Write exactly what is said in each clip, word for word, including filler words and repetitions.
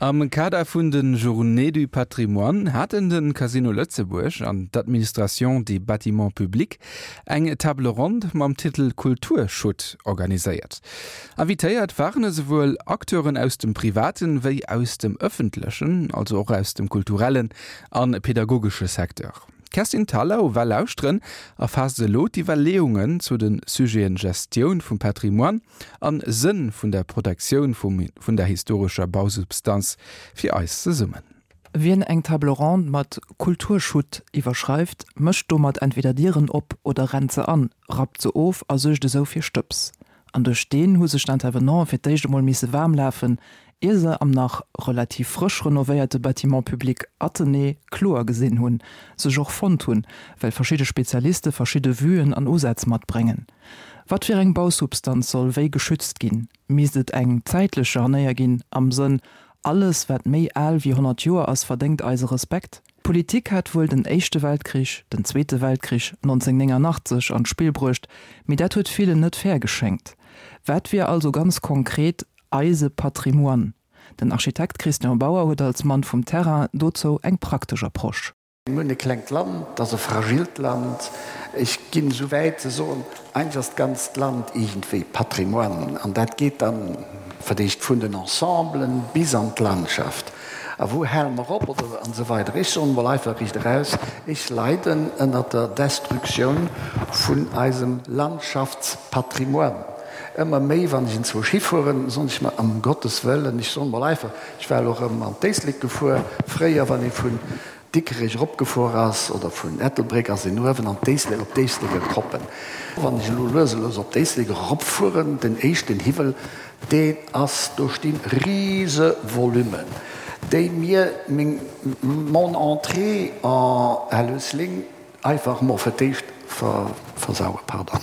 Am Kader vun den Journées du Patrimoine haten den Casino Lëtzebuerg an d'Administration des bâtiments publics eng Table ronde mam Titel Kulturschutt organiséiert. Invitéiert waren esouwuel Acteuren aus dem privaten wéi aus dem ëffentlechen, also och aus dem kulturellen an pädagogesche Secteur. Kerstin Thalau war lauschteren a faasst elo d'Iwwerleeungen zu den Sujeten Gestioun vum Patrimoine an Sënn vun der Protektioun vum, vun der historescher Bausubstanz fir eis zesummen. Wien eng Table ronde mat Kulturschutt iwwerschreift, mécht domat entweder Dieren op oder rennt se an, rappt se of a suergt esou fir Stëbs. An duerch deen hu sech d'Intervenante fir d'éischt emol misse waarm lafen, ier se am nach relativ frësch renovéierte Bâtiment public Athenée kloer gesinn hunn, sech och fonnt hunn, well verschidde Spezialiste verschidde Vuen an Usätz matbréngen. Wat fir eng Bausubstanz soll wéi geschützt ginn? Misst et eng zäitlech Scharnéier ginn am Sënn, alles wat méi al wéi honnert Joer ass verdéngt eise Respekt? D'Politik hat wuel den Éischte Weltkrich, den Zweete Weltkrich neunzehnhundertneunundachtzeg an d'Spill bruecht, mee dat huet villen net fair geschéngt. Wat wier also ganz konkret eise Patrimoine? Den Architekt Christian Bauer huet als Mann vum Terrain dozou eng praktesch Approche. Mir hunn e klengt Land, dat ass e fragilt Land. Ech ginn esou wäit ze soen, eigentlech ass d'ganzt Land iergendwéi Patrimoine. An dat geet dann verdéicht vun den Ensemblen bis an d'Landschaft. A wou hale mer op oder an esou weider. Ech soen emol einfach riicht eraus, ech leiden ënnert der Destruktioun vun eisem Landschaftspatrimoine. Ëmmer méi, wann ech enzwousch hifueren, soen ech mer, ëm Gottes Wëllen, ech soen emol einfach, ech war elo erëm an d'Éislek gefuer, fréier, wann ee vun Dikrech eropgefuer ass oder vun Ettelbréck, ass een uewen an d'Éislek, op d'Éisleker Koppen. Wann ech elo lues a lues op d'Éislek eropfueren, den éischten Hiwwel, deen ass, do stinn rise Volummen, déi mir meng, mon entrée en Hellesling einfach mol fir d'éischt versauen, pardon.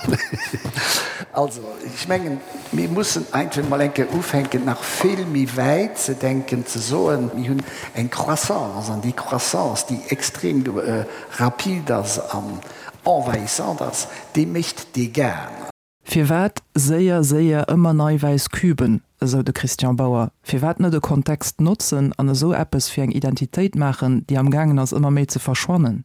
Also, ech mengen, mir mussen einfach mol eng Kéier ufänken, nach vill méi wäit ze denken, ze soen, mir hunn eng Croissance, an déi Croissance, déi extrem rapide ass an envahissante ass, déi mécht Dégâts. Firwat séier, séier ëmmer nei wäiss Küben, esou de Christian Bauer? Firwat net e Kontext notzen an esou eppes fir eng Identitéit maachen, déi am gaangen ass ëmmer méi ze verschwannen?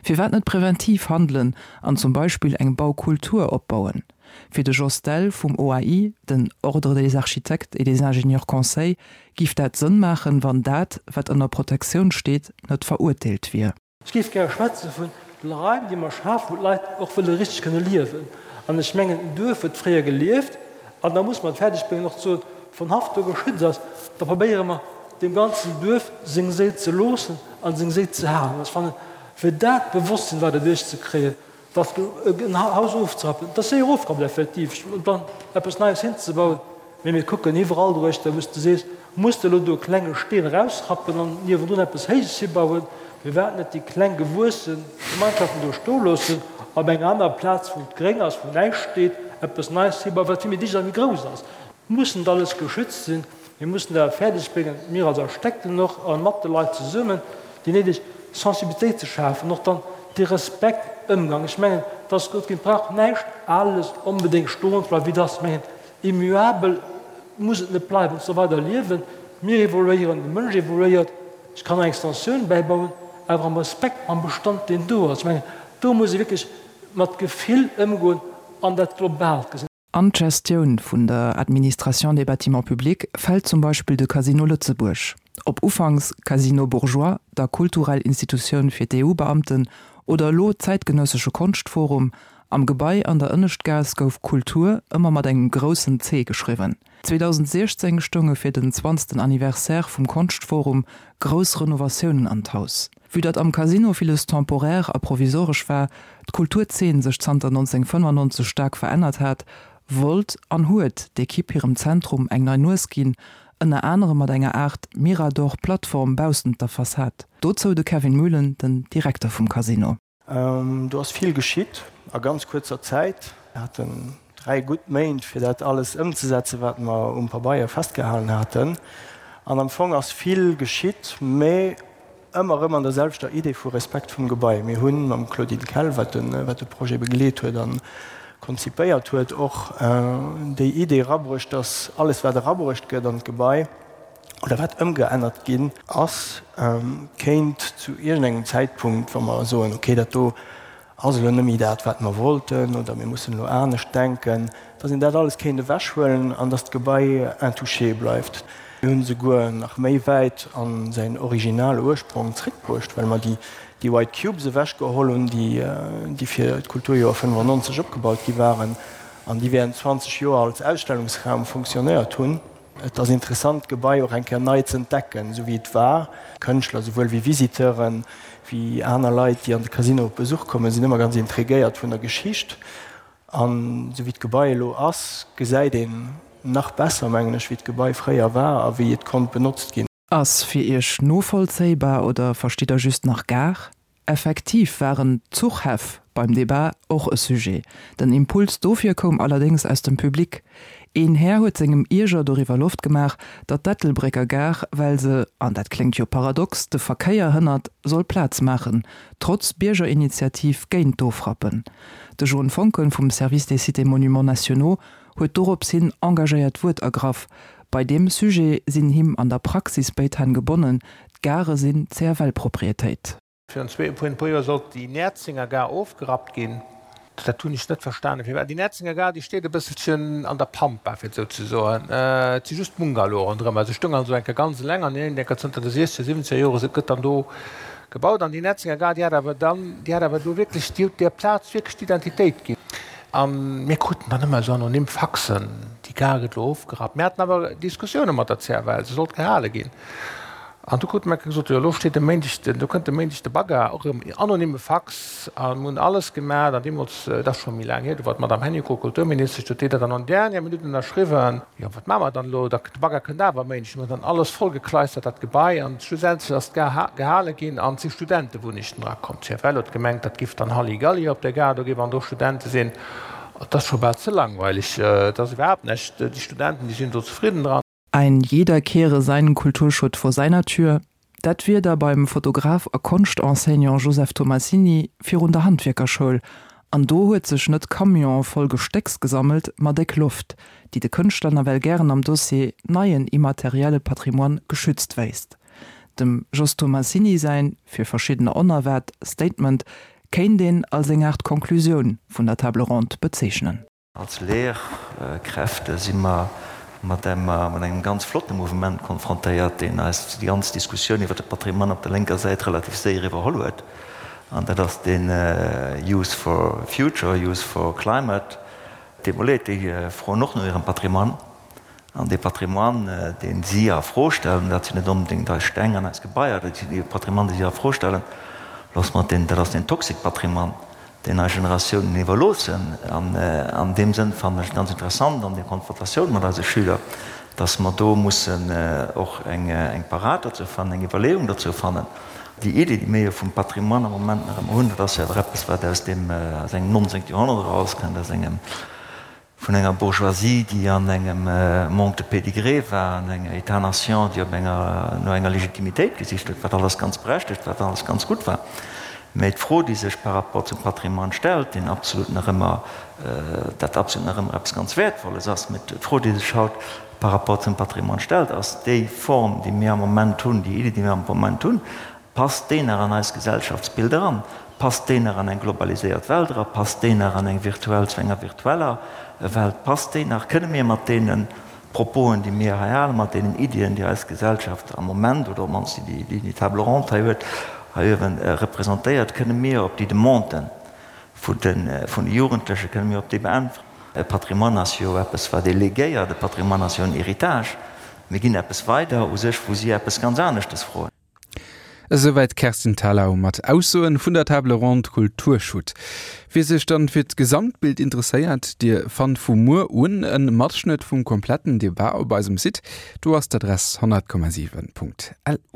Firwat net preventiv handelen an zum Beispill eng Baukultur opbauen? Fir de Jos Dell vum O A I, den Ordre des architectes et des ingénieurs conseils, giff dat Sënn maachen, wann dat, wat ënner Protektioun steet, net verurteelt wier. Ech géif gäre schwätze vun de Raim, déi mer schafen, wou d'Leit och wëlle richteg kënne liewen. An ech mengen, en Duerf huet fréier gelieft, an da muss mer et fäerdeg bréngen och ze soen, wann Haff do geschützt ass, da probéiere mer deem ganzen Duerf seng Séil ze loossen a seng Séil ze halen. Ech fannen, fir dat Bewosstsinn weider duerchzekréien, dass en Haus ofzerappen, dat ass séier ofgerappt effektiv, an dann eppes Neies hinzebauen, mee mir kucken iwwerall doruechter, wou s de sees, muss de elo do e klenge Steen erausrappen an niewendrun eppes Héijes hibauen, firwat net déi kleng gewuesse Gemeinschaften do stoe loossen, op enger anerer Plaz, wou et gréng ass, wou näischt steet, eppes Neies hibauen, wat vill méi dicht a méi grouss ass. Muss net alles geschützt sinn, mir mussen dat fäerdeg bréngen, mir als Architekten och a mat de Leit zesummen, déi néideg Sensibilitéit ze schafen, och dann dee Respekt, Ëmgang. Ech mengen, et ass gutt ginn, et brauch näischt Ales onbedéngt stoen ze bleiwen, wéi dass, ech mengen, immuabel muss et net bleiwen, et soll weider liewen. Mir evoluéieren, de Mënsch evoluéiert, ech kann eng Extensioun bäibauen, awer am Respekt mam Bestand, deen do ass. Ech mengen, do muss ee wierklech mat Gefill ëmgoen an dat globaalt gesinn. An d'Gestioun vun der Administration des bâtiments publics fält zum Beispill de Casino Lëtzebuerg. Ob ufanks Casino Bourgeois, da kulturell Institutioun fir d'E U-Beamten oder elo Zäitgenëssesche Konschtforum, am Gebai an der Ënneschtgaass gouf Kultur ëmmer mat engem groussen C geschriwwen. zweedausendsiechzéng stounge fir den zwanzegsten Anniversaire vum Konschtforum grouss Renovatiounen an d'Haus. Vue datt am Casino villes temporaire a provisoresch war, d'Kulturzeen sech zanter neunzehnhundertfënnefundneunzeg staark verännert hat, wollt an huet d'Ekipp hirem Zentrum eng nei Nues ginn, ënner anerem mat enger Aart Mirador-Plattform baussent der Fassad. Dozou de Kevin Muhlen, den Direkter vum Casino. Do ass vill geschitt a ganz kuerzer Zäit. Mir haten dräi gutt Méint, fir dat alles ëmzesetzen, wat mer um Pabeier festgehalen haten. An am Fong ass vill geschitt, mä ëmmer erëm an der selwechter Idee vu Respekt vum Gebai. Mir hu mam Claudine Kell, wat de Projet begleet huet a konzipéiert huet, och déi Idee erabruecht, dass alles, wat erabruecht gëtt an d'Gebai, oder wat ëmgeännert ginn ass, kéint zu iergendengem Zäitpunkt, wa mer soen, okay, dat do ass elo net méi dat, wat mer wollten, oder mir mussen elo anescht denken, dass een dat alles kéint ewechhuelen an dass d'Gebai intouché bleift. Mir hunn esouguer nach méi wäit a säin originale Ursprong zréckbruecht, well mer déi déi White Cubes ewechgeholl hunn, déi déi fir d'Kulturjoer fënnefannonzeg opgebaut gi waren an déi während zwanzeg Joer als Ausstellungsraum funktionéiert hunn. Et ass interessant, d'Gebai och eng Kéier nei ze entdecken, esou wéi et war. Kënschtler souwuel wéi Visiteuren, wéi aner Leit, déi an de Casino op Besuch kommen, sinn ëmmer ganz intriguéiert vun der Geschicht. An esou wéi d'Gebai elo ass, gesäit een nach besser, mengen ech, wéi d'Gebai fréier war a wéi et konnt benotzt ginn. Ass fir Iech novollzéibar oder verstitt der just nach Gare? Effektiv waren d'Zuchhäff beim Debat och e Sujet. Den Impuls dofir koum allerdéngs aus dem Public. Een Här huet sengem Ierger doriwwer Loft gemaach, datt d'Ettelbrécker Gare, well se, an dat kléngt jo paradox, de Verkéier hënnert, soll Plaz maachen, trotz Biergerinitiativ géint d'Ofrappen. De Jon Foncken vum Service des Sites et Monuments Nationaux huet dorops hin engagéiert d'Wuert ergraff. Bei deem Sujet sinn him an der Praxis béid Hänn gebonnen, d'Gare sinn C F L-Proprietéit. Virun zwee, e puer Joer sollt déi Näerzenger Gare ofgerappt ginn. Dat hunn ech net verstanen, firwat. Déi Näerzenger Gare, déi steet e bësselchen an der Pampa, fir et esou ze soen. Et si just Bungalowe ronderëm. Also ech stoung also eng Kéier ganz eleng an iergendeng Kéier zënter de siechzeger, siwwenzeger Jore gëtt dann do gebaut. An déi Näerzenger Gare, déi hat awer dann, déi hat awer do wierklech, déi huet där Plaz wierklech d'Identitéit ginn. A mir kruten dann ëmmer esou anonym Faxen, déi Gare gëtt elo ofgerappt. Mir haten awer Diskussioune mat der C F L, se sollt gehale ginn. An du krute mer gesot, jo elo steet e Méindeg den, do kënnt e Méindeg de Bagger, och erëm anonyme Fax, a mir hunn alles gemaach. An deemools, dat ass scho méi laang hier, do war d'Madame Hennicot Kulturministesch, do huet déi dat dann en dernière Minute ënnerschriwwen. Jo, wat maache mer dann elo? Da, de Bagger kënnt awer e Méindeg. Mir hunn dann alles vollgekleistert, dat Gebai, an schlussendlech ass d'Gare gehale ginn an et si Studentewunnechten erakomm. D'C F L huet gemengt, dat giff dann Halligalli op der Gare, do géif an do Studente sinn. Et ass scho bal ze langweilig, et ass iwwerhaapt näischt, déi Studenten, déi sinn do zefridden dran. Ein jeder kehre seinen Kulturschutt vor seiner Tür, dat wier da beim Fotograf a Konschtenseignant Joseph Tomassini virun der Handwierkerschoul, an do huet sech net Camionë voll Gestécks gesammelt, ma déck Loft, déi de Kënschtler nawell gären am Dossier Neien immaterielle Patrimoine geschützt wéisst. Dem Jos Tomassini säin, fir verschiddener onerwaart, Statement kéint een als eng Aart Konklusioun vun der Table ronde bezeechnen. Als Lehrkräfte si mer mat engem ganz flotte Mouvement konfrontéiert, deen eis déi ganz Diskussioun iwwer de Patrimoine op der lénker Säit relativ séier iwwerholl huet, an dat ass den Youth for Future, Youth for Climate. Déi Leit, déi froen och no hirem Patrimoine, an dee Patrimoine, deen si a Fro stellen, dat sinn net onbedéngt eis Steng an eis Gebaier, dat sinn dee Patrimoine, dee si a Fro stellen, loosse mer deen, dat ass den toxic Patrimoine, deen eis Generatiounen iwwerloossen. An an deem Sënn fannen ech et ganz interessant an der Konfrontatioun mat eise Schüler, dass mer do mussen och eng eng Parad dozou fannen, eng Iwwerleeung dozou fannen. Déi Iddi, déi mir jo vum Patrimoine am Moment nach ëmmer hunn, dat ass jo awer eppes, wat aus dem aus engem nonzéngte Joerhonnert erauskënnt, aus engem vun enger Bourgeoisie, déi an engem Manque de pédigré war, an enger État-nation, déi op enger no enger Legitimitéit gesicht huet, wat alles ganz berechtegt war, wat alles ganz gutt war. Mä d'Fro, déi sech par rapport zum Patrimoine stellt, deen absolut nach ëmmer, dat absolut nach ëmmer eppes ganz Wäertvolles ass, mä d'Fro, déi sech haut par rapport zum Patrimoine stellt, ass déi Form, déi mir am Moment hunn, déi Iddi, déi mir am Moment hunn, passt déi nach an eist Gesellschaftsbild eran? Passt déi nach an eng globaliséiert Welt era? Passt déi nach an eng virtuell, zu enger virtueller Welt? Passt déi nach? Kënne mir mat deene Proposen, déi mir hei halen, mat deenen Iddien, déi eis Gesellschaft am Moment, oder op d'mannst déi déi Table ronde hei huet, hei uewen representéiert, kënne mir op déi Demanden vun de vun de Jugendleche, kënne mir op déi beäntweren? E Patrimoine ass jo eppes, wat ee legéiert. E Patrimoine ass jo en Héritage. Mir ginn eppes weider u sech, wou si eppes ganz aneschtes froen. Esouwäit d'Kerstin Thalau mat Aussoen vun der Table ronde Kulturschutt. Wie sech dann fir d'Gesamtbild interesséiert, Dir fannt vu muer un e Matschnëtt vum kompletten Debat op eisem Site. Do ass d'Adress honnert Komma siwen Punkt L U.